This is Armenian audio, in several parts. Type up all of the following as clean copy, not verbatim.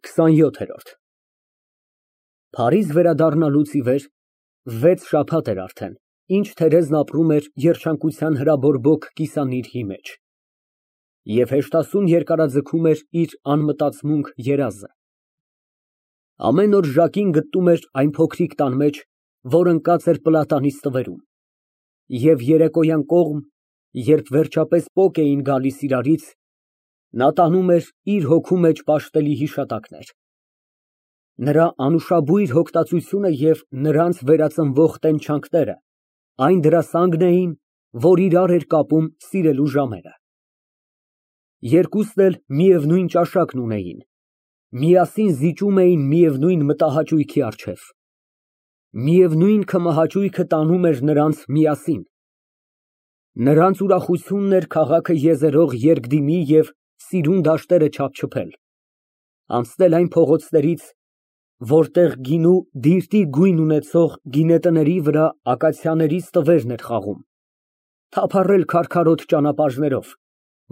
27։ Փարիզ վերադառնալուց ի վեր 6 շաբաթ էր արդեն, ինչ Թերեզն ապրում էր երջանկության հրաբորբոք կիսանիրհի մեջ և հեշտասուն երկարաձգում էր իր անմտածմունք երազը։ Ամեն օր Ժակին գտնում էր այն փոքրիկ տան մեջ, որ ընկած էր պլատանի ստվերում, և երեկոյան կողմ, երբ վերջապես պոկ էին գալիս իրարից, նա տանում էր իր հոգու մեջ պաշտելի հիշատակներ։ Նրա անուշաբույր հոգտածությունը և նրանց վերածնվող տենչանքները այն դրասանգն էին, որ իրար էր կապում սիրելու ժամերը։ Երկուսն էլ միևնույն ճաշակն ունեին, միասին զիջում էին միևնույն մտահաճույքի առջև։ Միևնույն քմահաճույքը տանում էր նրանց միասին։ Նրանց ուրախությունն էր քաղաքը եզերող երկդիմի և սիրուն դաշտերը չափչփել, անցնել այն փողոցներից, որտեղ գինու դիրտի գույն ունեցող գինետների վրա ակացիաների ստվերն էր խաղում, թափառել քարքարոտ ճանապարհներով,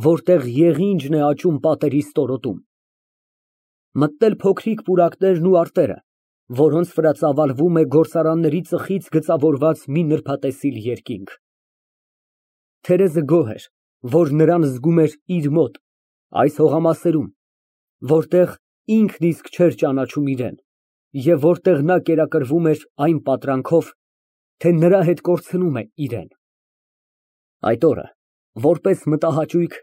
որտեղ եղինջն է աճում պատերի ստորոտում, մտնել փոքրիկ պուրակներն ու արտերը, որոնց վրա ծավալվում է գործարանների ծխից գծավորված մի նրբատեսիլ երկինք։ Թերեզը գոհ էր, որ նրան զգում էր իր մոտ, այս հողամասերում, որտեղ ինքն իսկ չէր ճանաչում իրեն, և որտեղ նա կերակրվում էր այն պատրանքով, թե նրա հետ կորցնում է իրեն։ Այդ օրը, որպես մտահաճույք,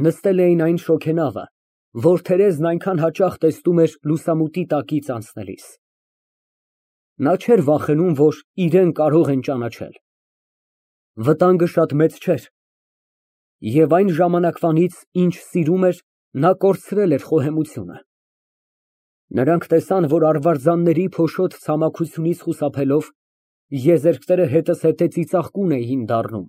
նստել էին այն շոգենավը, որ Թերեզն այնքան հաճախ տեսնում էր լուսամուտի տակից անցնելիս։ Նա չէր վախենում, որ իրեն կարող են ճանաչել։ Վտանգը շատ մեծ չէր, և այն ժամանակվանից, ինչ սիրում էր, նա կորցրել էր խոհեմությունը։ Նրանք տեսան, որ արվարձանների փոշոտ ցամաքությունից խուսափելով, եզերքները հետզհետե ծիծաղկուն էին դառնում։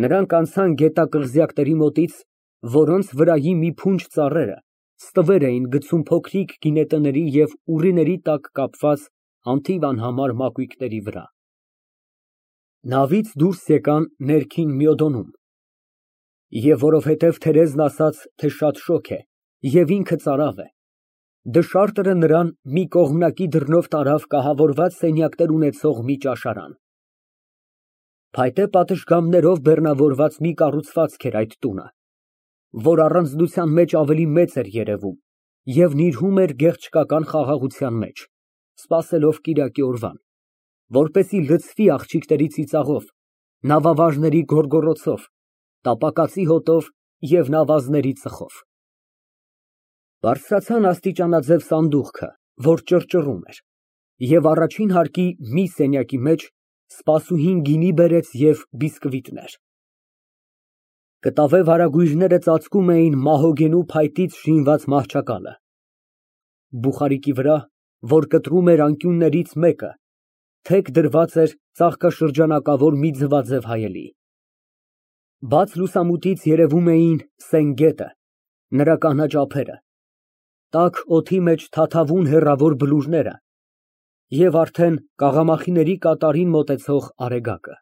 Նրանք անցան գետակղզյակների մոտից, որոնց վրայի մի փունջ ծառերը ստվեր էին գցում փոքրիկ գինետների և ուռիների տակ կապված անթիվ անհամար մակույկների վրա։ Նավից դուրս եկան ներքին Մյոդոնում, և որովհետև Թերեզն ասաց, թե շատ շոգ է և ինքը ծարավ է, դշարտը նրան մի կողմնակի դռնով տարավ կահավորված սենյակներ ունեցող մի ճաշարան։ Փայտե պատշգամբներով բեռնավորված մի կառուցվածք էր այդ տունը, որ առանձնության մեջ ավելի մեծ էր երևում և նիրհում էր գեղչկական խաղաղության մեջ, սպասելով կիրակի օրվան, որպեսզի լցվի աղջիկների ծիծաղով, նավավարժների գոռգոռոցով, տապակածի հոտով և նավազների ծխով։ Բարձրացան աստիճանաձև սանդուղքը, որ ճռճռում էր, և առաջին հարկի մի սենյակի մեջ սպասուհին գինի բերեց և բիսկվիտներ։ Կտավե վարագույրները ծածկում էին մահոգենու փայտից շինված մահճակալը։ Բուխարիկի վրա, որ կտրում էր անկյուններից մեկը, թեք դրված էր ծաղկաշրջանակավոր մի ձվաձև հայելի։ Բաց լուսամուտից երևում էին սեն գետը, նրա կանաչ ափերը, տաք օդի մեջ թաթավուն հեռավոր բլուրները և արդեն կաղամախիների կատարին մոտեցող արեգակը։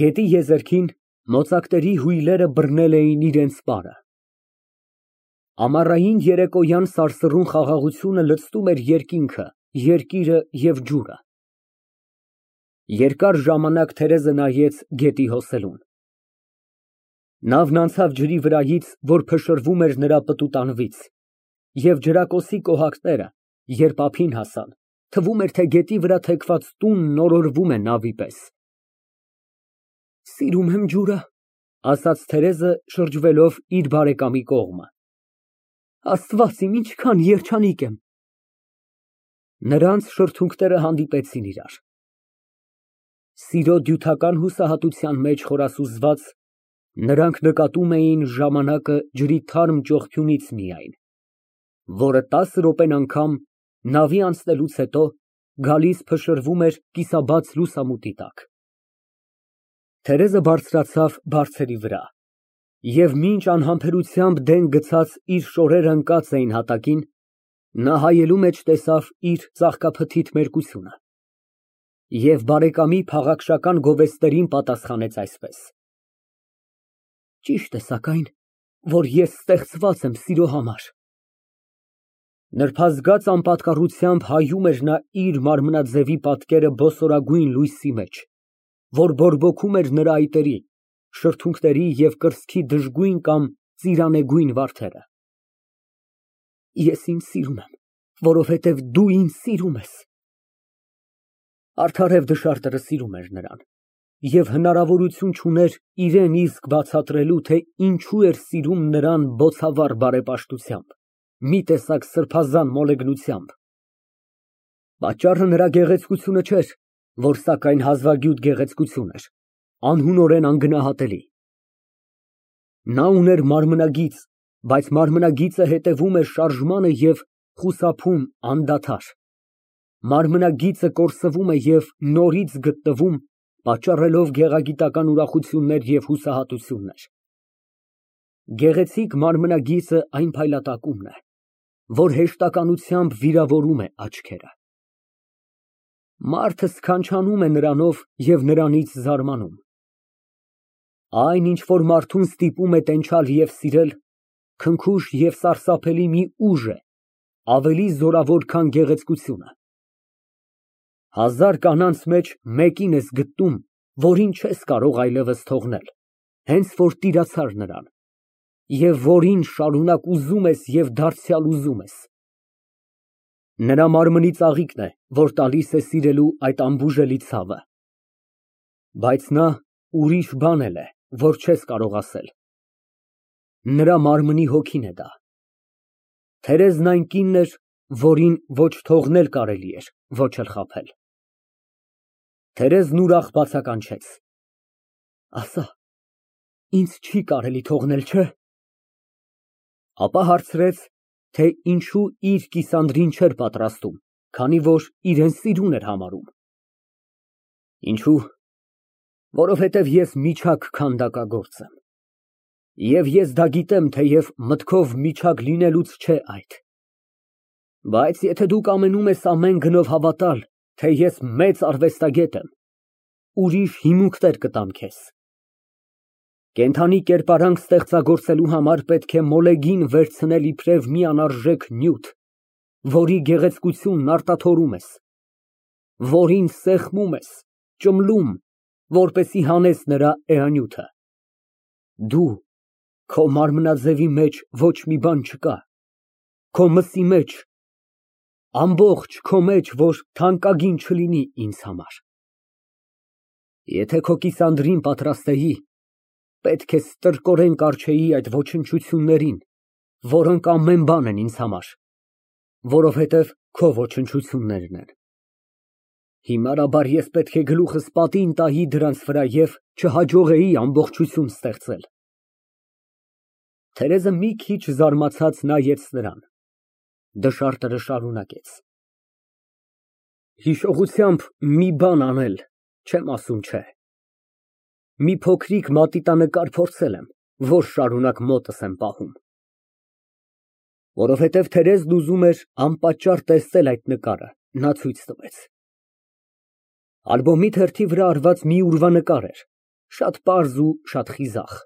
Գետի եզերքին մոծակների հույլերը բռնել էին իրենց պարը։ Ամառային երեկոյան սարսռուն խաղաղությունը լցնում էր երկինքը, երկիրը և ջուրը։ Երկար ժամանակ Թերեզը նայեց գետի հոսելուն։ Նավն անցավ ջրի վրայից, որ փշրվում էր նրա պտուտանվից, և ջրակոցի կոհակները, երբ ափին հասան, թվում էր, թե գետի վրա թեքված տունն օրորվում է նավի պես։ Սիրում եմ ջուրը, ասաց Թերեզը, շրջվելով իր բարեկամի կողմը։ Աստված իմ, ինչքան երջանիկ եմ։ Նրանց շրթունքները հանդիպեցին իրար։ Սիրո դյութական հուսահատության մեջ խորասուզված, նրանք նկատում էին ժամանակը ջրի թարմ ճողփյունից միայն, որը 10 րոպեն անգամ, նավի անցնելուց հետո, գալիս փշրվում էր կիսաբաց լուսամուտի տակ։ Թերեզը բարձրացավ բարձերի վրա, և մինչ անհամբերությամբ դեն գցած իր շորերը ընկած էին հատակին, նա հայելու մեջ տեսավ իր ծաղկափթիթ մերկությունը և բարեկամի փաղաքշական գովեստներին պատասխանեց այսպես. Ճիշտ է սակայն, որ ես ստեղծված եմ սիրո համար։ Նրբազգաց անպատկառությամբ հայում էր նա իր մարմնաձևի պատկերը բոսորագույն լույսի մեջ, որ բորբոքում էր նրա այտերի, շրթունքների և կրծքի դժգույն կամ ծիրանեգույն վարդերը։ Ես ինձ սիրում եմ, որովհետև դու ինձ սիրում ես։ Արդարև դշարտը սիրում էր նրան և հնարավորություն չուներ իրան իսկ բացատրելու, թե ինչու էր սիրում նրան բոցավառ բարեպաշտությամբ, մի տեսակ սրբազան մոլեգնությամբ։ Պատճառը նրա գեղեցկությունը չէր, որ սակայն հազվագյուտ գեղեցկություն էր, անհունորեն անգնահատելի։ Նա ուներ մարմնագիծ, բայց մարմնագիծը հետևում էր շարժմանը և խուսափում անդադար։ Մարմնագիծը կորսվում է և նորից գտնվում, պատճառելով գեղագիտական ուրախություններ և հուսահատություններ։ Գեղեցիկ մարմնագիծը այն փայլատակումն է, որ հեշտականությամբ վիրավորում է աչքերը։ Մարդը սքանչանում է նրանով և նրանից զարմանում։ Այն, ինչ որ մարդուն ստիպում է տենչալ և սիրել, քնքուշ և սարսափելի մի ուժ է, ավելի զորավոր, քան գեղեցկությունը։ Հազար կանանց մեջ մեկին ես գտնում, որին չես կարող այլևս թողնել, հենց որ տիրացար նրան, և որին շարունակ ուզում ես և դարձյալ ուզում ես։ Նրա մարմնի ծաղիկն է, որ տալիս է սիրելու այդ անբուժելի ցավը։ Բայց նա ուրիշ բան էլ է, որ չես կարող ասել։ Նրա մարմնի հոգին է դա։ Թերեզն այն կինն էր, որին ոչ թողնել կարելի էր, ոչ էլ խաբել։ Թերեզն ուրախ բացականչեց. Ասա, ինձ չի կարելի թողնել, չէ՞։ Ապա հարցրեց, թե ինչու իր կիսանդրին չէր պատրաստում, քանի որ իրան սիրուն էր համարում։ Ինչո՞ւ։ Որովհետև ես միջակ քանդակագործ եմ։ Եվ ես դա գիտեմ, թեև մտքով միջակ լինելուց չէ այդ։ Բայց եթե դու կամենում ես ամեն գնով հավատալ, թե ես մեծ արվեստագետ եմ, ուրիշ հիմունքներ կտամ քեզ։ Կենդանի կերպարանք ստեղծագործելու համար պետք է մոլեգին վերցնել իբրև մի անարժեք նյութ, որի գեղեցկությունն արտաթորում ես, որին սեղմում ես, ճմլում, որպեսզի հանես նրա էանյութը։ Դու, քո մարմնաձևի մեջ ոչ մի բան չկա, քո մսի մեջ, ամբողջ քո մեջ, որ թանկագին չլինի ինձ համար։ Եթե քո կիսանդրին պատրաստեի, պետք է ստրկորեն կառչեի այդ ոչնչություններին, որոնք ամեն բան են ինձ համար, որովհետև քո ոչնչություններն են։ Հիմարաբար ես պետք է գլուխս պատին տայի դրանց վրա և չհաջողեի ամբողջություն ստեղծել։ Թերեզը մի քիչ զարմացած նայեց նրան։ Դշարտը շարունակեց. Հիշողությամբ մի բան անել, չեմ ասում չէ։ Մի փոքրիկ մատիտանկար փորձել եմ, որ շարունակ մոտս եմ պահում։ Որովհետև Թերեզն ուզում էր անպատճառ տեսնել այդ նկարը, նա ցույց տվեց։ Ալբոմի թերթի վրա արված մի ուրվանկար էր, շատ պարզ ու շատ խիզախ։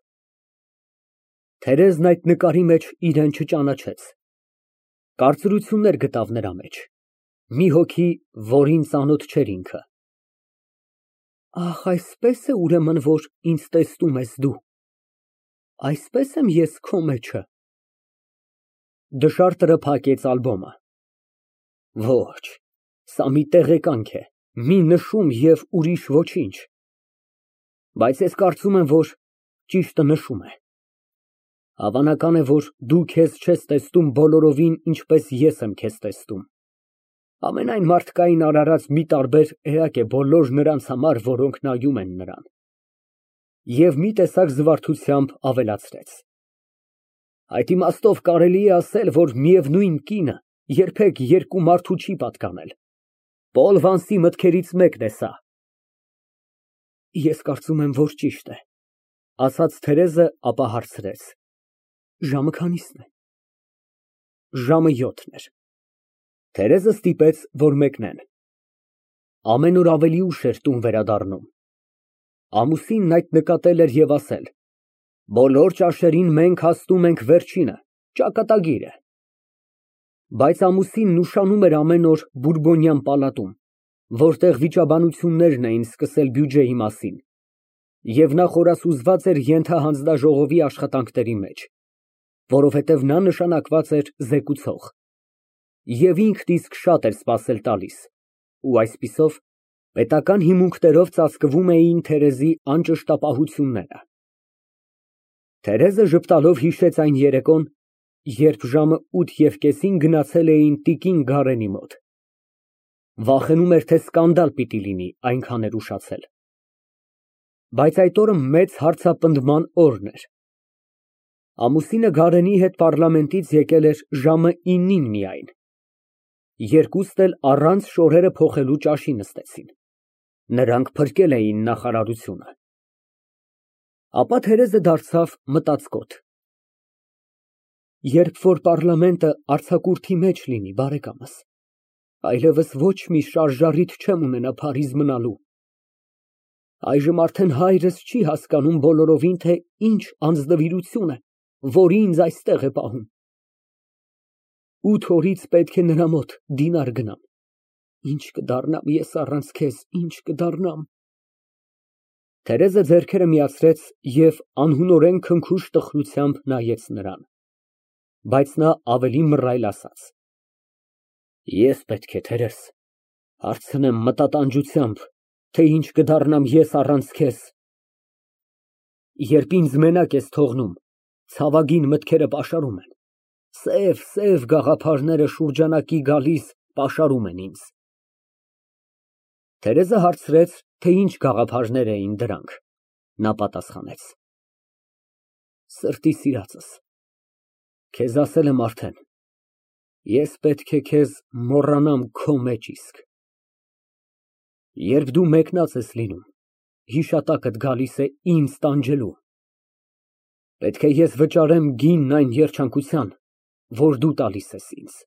Թերեզն այդ նկարի մեջ իրան չճանաչեց։ Կարծրություններ գտավ նրա մեջ, մի հոգի, որին ծանոթ չէր ինքը։ Ահ, այսպես է ուրեմն, որ ինձ տեսնում ես դու։ Այսպես եմ ես քո մեջը։ Դշարտը փակեց ալբոմը։ Ոչ, սա մի տեղեկանք է, մի նշում և ուրիշ ոչինչ։ Բայց ես կարծում եմ, որ ճիշտը նշում է։ Հավանական է, որ դու քեզ չես տեսնում բոլորովին, ինչպես ես եմ քեզ տեսնում։ Ամենայն մարդկային արարած մի տարբեր էակ է բոլոր նրանց համար, որոնք նայում են նրան։ Եվ մի տեսակ զվարթությամբ ավելացրեց. Այդ իմաստով կարելի է ասել, որ միևնույն կինը երբեք երկու մարդու չի պատկանել։ Պոլ Վանսի մտքերից մեկն է սա։ Ես կարծում եմ, որ ճիշտ է, ասաց Թերեզը, ապա հարցրեց. Ժամը քանի՞սն է։ Ժամը 7-ն էր։ Թերեզը ստիպեց, որ մեկնեն։ Ամեն օր ավելի ուշ էր տուն վերադառնում։ Ամուսինն այդ նկատել էր և ասել. Բոլոր ճաշերին մենք հասնում ենք վերջինը, ճակատագիրը։ Բայց ամուսինն ուշանում էր ամեն օր Բուրբոնյան պալատում, որտեղ վիճաբանություններն էին սկսել բյուջեի մասին, և նա խորասուզված էր ենթահանձնաժողովի աշխատանքների մեջ, որովհետև նա նշանակված էր զեկուցող, և ինքն իսկ շատ էր սպասել տալիս, ու այսպիսով պետական հիմունքներով ծածկվում էին Թերեզի անճշտապահությունները։ Թերեզը ժպտալով հիշեց այն երեկոն, երբ ժամը 8:30-ին գնացել էին տիկին Գարենի մոտ։ Վախենում էր, թե սկանդալ պիտի լինի, այնքան էր ուշացել։ Բայց այդ օրը մեծ հարցապնդման օրն էր։ Ամուսինը Գարենի հետ պառլամենտից եկել էր ժամը 9-ին միայն։ Երկուսն էլ առանց շորերը փոխելու ճաշի նստեցին։ Նրանք փրկել էին նախարարությունը։ Ապա Թերեզը դարձավ մտածկոտ։ Երբ որ պառլամենտը արձակուրդի մեջ լինի, բարեկամս, այլևս ոչ մի շարժառիթ չեմ ունենա Փարիզ մնալու։ Այժմ արդեն հայրս չի հասկանում բոլորովին, թե ինչ անձնվիրություն է, որ ինձ այստեղ է պահում։ 8 օրից պետք է նրա մոտ դինար գնամ։ Ինչ կդառնամ ես առանց քեզ, ինչ կդառնամ։ Թերեզը ձեռքերը միացրեց և անհունորեն քնքուշ տխրությամբ նայեց նրան, բայց նա ավելի մռայլ ասաց. Ես պետք է, Թերեզ, հարցնեմ մտատանջությամբ, թե ինչ կդառնամ ես առանց քեզ։ Երբ ինձ մենակ ես թողնում, ցավագին մտքերը պաշարում են, սև գաղափարները շուրջանակի գալիս պաշարում են ինձ։ Թերեզը հարցրեց, թե ինչ գաղափարներ էին դրանք։ Նա պատասխանեց. Սրտի սիրածս, քեզ ասել եմ արդեն, ես պետք է քեզ մոռանամ քո մեջ իսկ։ Երբ դու մեկնած ես լինում, հիշատակդ գալիս է ինձ տանջելու։ Պետք է ես վճարեմ գինն այն երջանկության, որ դու տալիս ես ինձ։